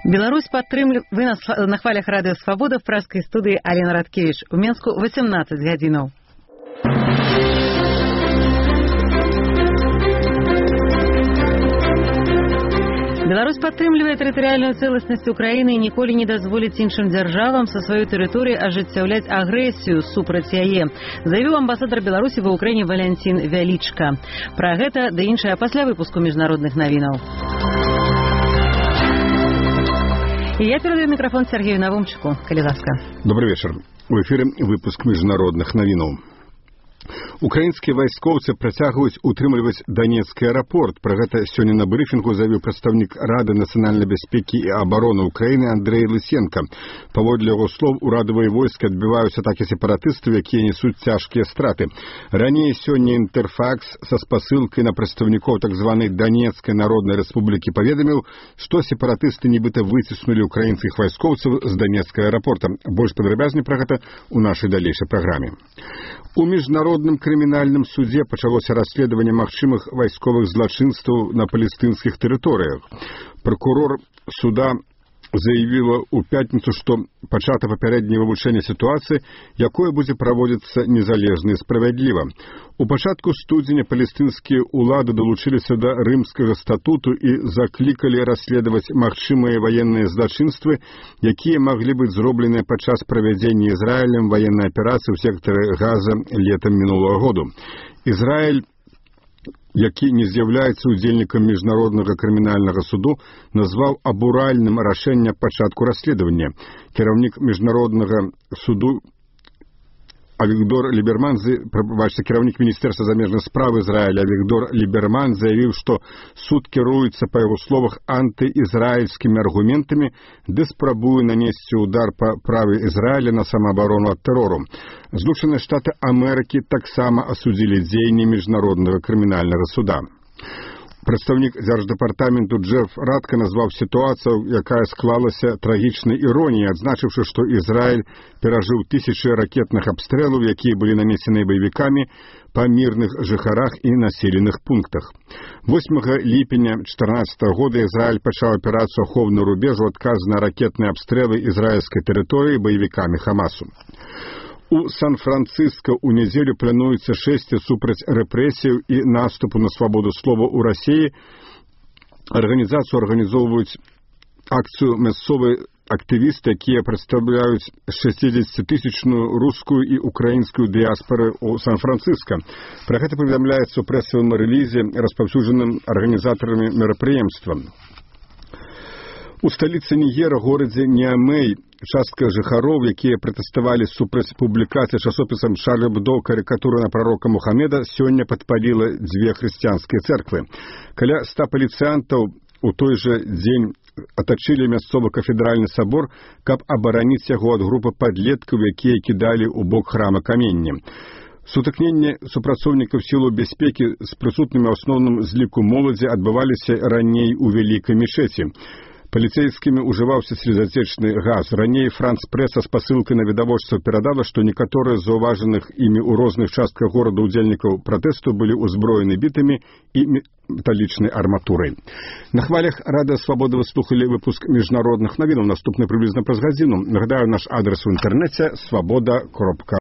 Беларусь падтрымлівае. Вы на хвалях радыё Свабода в праскай студыі Алена Радкевіч. У Менску 18 гадзінаў. Беларусь падтрымлівае тэрытарыяльную цэласнасць Украіны і ніколі не дазволіць іншым дзяржавам са сваёй тэрыторыі ажыццяўляць агрэсію супраць яе, заявіў амбасадар Беларусі ва ўкраіне Валянцін Вялічка. Пра гэта ды іншае пасля выпуску міжнародных навінаў. І я перадаю мікрафон Сергею Навумчыку. Калі ласка. Добрый вечер. У эфире выпуск міжнародных навінаў. Украінскія вайскоўцы працягваюць утрымліваць Донецкі аэрапорт. Пра гэта сёння на брыфінгу заявіў прадстаўнік Рады нацыянальнай бяспекі і абароны Украіны Андрэй Лысенко. Паводле яго слоў, урадавыя войскі адбіваюць атакі сепаратыстаў, якія несуць цяжкія страты. Раней сёння Інтэрфакс са спасылкай на прадстаўнікоў так званай Донецкай народнай рэспублікі паведаміў, што сепаратысты нібыта выціснулі украінскіх вайскоўцаў з Донецкага аэрапорта. Больш падрабязней пра гэта ў нашай далейшай праграме. У міжнародным крымінальным судзе пачалося расследаванне магчымых вайсковых злачынстваў на палестынскіх тэрыторыях. Пракурор суда заявіла ў пятніцу, што пачата папярэдняе вывучэнне сітуацыі, якое будзе праводзіцца незалежна і справядліва. У пачатку студзеня палестынскія ўлады далучыліся да рымскага статуту і заклікалі расследаваць магчымыя ваенныя злачынствы, якія маглі быць зробленыя падчас правядзення Ізраілем ваеннай аперацыі ў сектары Газа летам мінулага году. Ізраіль, які не з'яўляецца удзельнікам міжнароднага крымінальнага суду, назваў абуральным рашэнне пачатку расследавання. Кіраўнік міжнароднага суду Авигдор Либерман, кіраўнік міністэрства замежных спраў Ізраіля Авигдор Либерман заявіў, што суд кіруецца, па яго словах, антыізраільскімі аргументамі, ды спрабуе нанесці удар па праве Ізраіля на самаабарону ад тэрору. Злучаныя Штаты Амерыкі таксама асудзілі дзеянні міжнароднага крымінальнага суда. Прадстаўнік дзярждэпартаменту Джеф Радка назваў сітуацыю, якая склалася трагічнай іроніяй, адзначыўшы, што Ізраіль перажыў тысячы ракетных абстрэлаў, якія былі нанесены баевікамі па мірных жыхарах і населеных пунктах. 8 ліпеня 2014 года Ізраіль пачаў аперацыю «Ахоўны рубеж» у адказ на ракетныя абстрэлы ізраільскай тэрыторыі баевікамі Хамасу. У Сан-Франциско ў нядзелю плануецца шэсце супраць рэпрэсіяў і наступу на свабоду слова ў Расіі. Арганізацыю арганізоўваюць акцыю мясцовыя актывісты, якія прадстаўляюць 60-тысячную рускую і украінскую дыяспоры ў Сан-Франциско. Пра гэта паведамляецца ў прэсавым рэлізе, распаўсюджаным арганізатарамі мерапрыемства. У сталіцы Нігера, горадзе Ніамей, частка жыхароў, якія пратэставалі супраць публікацыі часопісам Шарль Эбдо карыкатуры на прарока Мухаммеда, сёння падпаліла дзве хрысціянскія цэрквы. Каля 100 паліцыянтаў у той жа дзень атачылі мясцовы кафедральны сабор, каб абараніць яго ад групы падлеткаў, якія кідалі ў бок храма каменне. Сутыкненні супрацоўнікаў сілаў бяспекі з прысутнымі ў асноўным з ліку моладзі адбываліся раней у вялікай мечеці. Паліцейскімі ўжываўся слезацечны газ. Раней Франц-прэса з пасылкай на відавочцаў перадала, што некаторыя з заўважаных імі ў розных частках горада ўдзельнікаў пратэсту былі ўзброены бітамі і металічнай арматурай. На хвалях Радыё Свабода вы слухалі выпуск міжнародных навінаў. Наступны прыблізна праз гадзіну. Нагадаю, наш адрес у інтэрнэце свабода.ру.